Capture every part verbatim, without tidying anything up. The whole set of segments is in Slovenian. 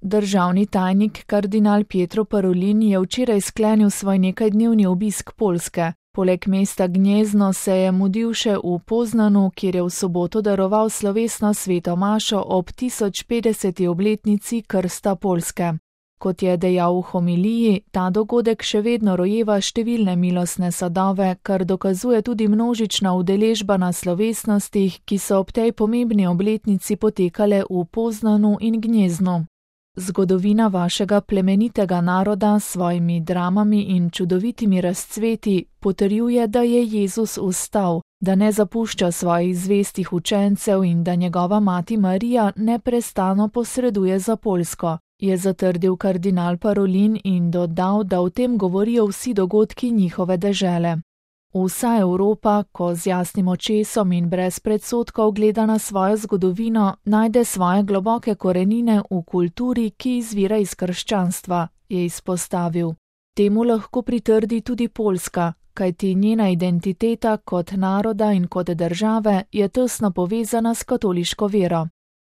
Državni tajnik kardinal Pietro Parolin je včeraj sklenil svoj nekajdnevni obisk Poljske. Poleg mesta Gnjezno se je mudil še v Poznanu, kjer je v soboto daroval slovesno sveto mašo ob tisoč petdeseti obletnici krsta Poljske. Kot je dejal v homiliji, ta dogodek še vedno rojeva številne milostne sadove, kar dokazuje tudi množična udeležba na slovesnostih, ki so ob tej pomembni obletnici potekale v Poznanu in Gnjeznu. Zgodovina vašega plemenitega naroda s svojimi dramami in čudovitimi razcveti potrjuje, da je Jezus vstal, da ne zapušča svojih zvestih učencev in da njegova mati Marija neprestano posreduje za Poljsko, je zatrdil kardinal Parolin in dodal, da o tem govorijo vsi dogodki njihove dežele. Vsa Evropa, ko z jasnim očesom in brez predsodkov gleda na svojo zgodovino, najde svoje globoke korenine v kulturi, ki izvira iz krščanstva, je izpostavil. Temu lahko pritrdi tudi Poljska, kajti njena identiteta kot naroda in kot države je tesno povezana s katoliško vero.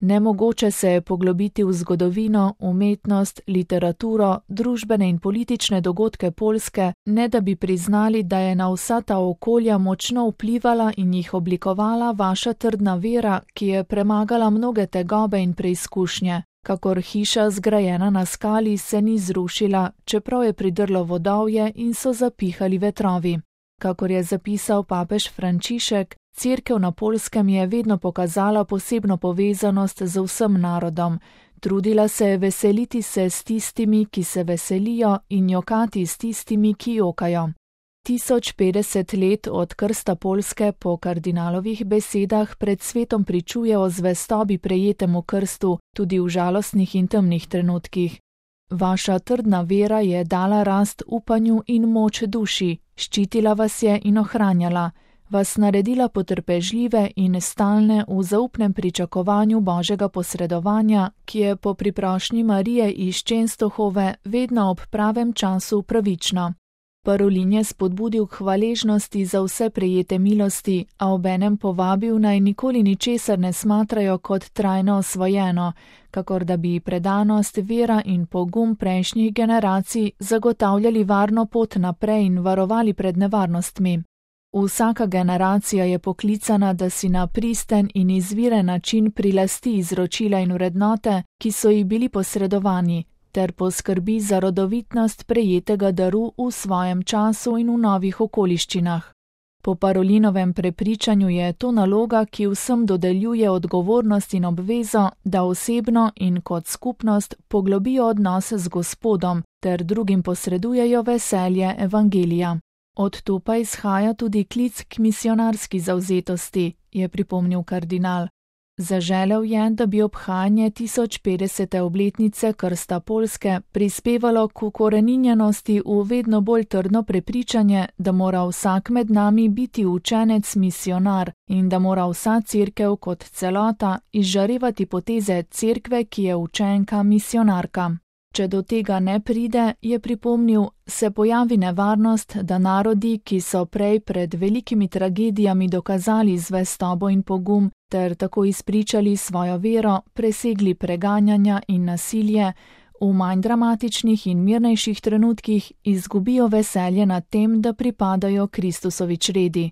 Nemogoče se je poglobiti v zgodovino, umetnost, literaturo, družbene in politične dogodke Poljske, ne da bi priznali, da je na vsa ta okolja močno vplivala in jih oblikovala vaša trdna vera, ki je premagala mnoge tegobe in preizkušnje. Kakor hiša zgrajena na skali se ni zrušila, čeprav je pridrlo vodovje in so zapihali vetrovi. Kakor je zapisal papež Frančišek, Cerkev na Poljskem je vedno pokazala posebno povezanost z vsem narodom. Trudila se je veseliti se s tistimi, ki se veselijo, in jokati s tistimi, ki jokajo. tisoč petdeset let od krsta Poljske po kardinalovih besedah pred svetom pričuje o zvestobi prejetemu krstu, tudi v žalostnih in temnih trenutkih. Vaša trdna vera je dala rast upanju in moč duši, ščitila vas je in ohranjala, vas naredila potrpežljive in stalne v zaupnem pričakovanju Božjega posredovanja, ki je po priprošnji Marije iz Čenstohove vedno ob pravem času pravično. Parolin je spodbudil k hvaležnosti za vse prejete milosti, a obenem povabil naj nikoli ničesar ne smatrajo kot trajno osvojeno, kakor da bi predanost, vera in pogum prejšnjih generacij zagotavljali varno pot naprej in varovali pred nevarnostmi. Vsaka generacija je poklicana, da si na pristen in izviren način prilasti izročila in vrednote, ki so ji bili posredovani, ter poskrbi za rodovitnost prejetega daru v svojem času in v novih okoliščinah. Po Parolinovem prepričanju je to naloga, ki vsem dodeljuje odgovornost in obvezo, da osebno in kot skupnost poglobijo odnose z Gospodom ter drugim posredujejo veselje evangelija. Od tu pa izhaja tudi klic k misionarski zavzetosti, je pripomnil kardinal. Zaželel je, da bi obhajanje tisoč petdesete obletnice krsta Poljske prispevalo k ukoreninjenosti v vedno bolj trdno prepričanje, da mora vsak med nami biti učenec misionar in da mora vsa cerkev kot celota izžarevati poteze cerkve, ki je učenka misionarka. Če do tega ne pride, je pripomnil, se pojavi nevarnost, da narodi, ki so prej pred velikimi tragedijami dokazali zvestobo in pogum ter tako izpričali svojo vero, presegli preganjanja in nasilje, v manj dramatičnih in mirnejših trenutkih izgubijo veselje nad tem, da pripadajo Kristusovi čredi.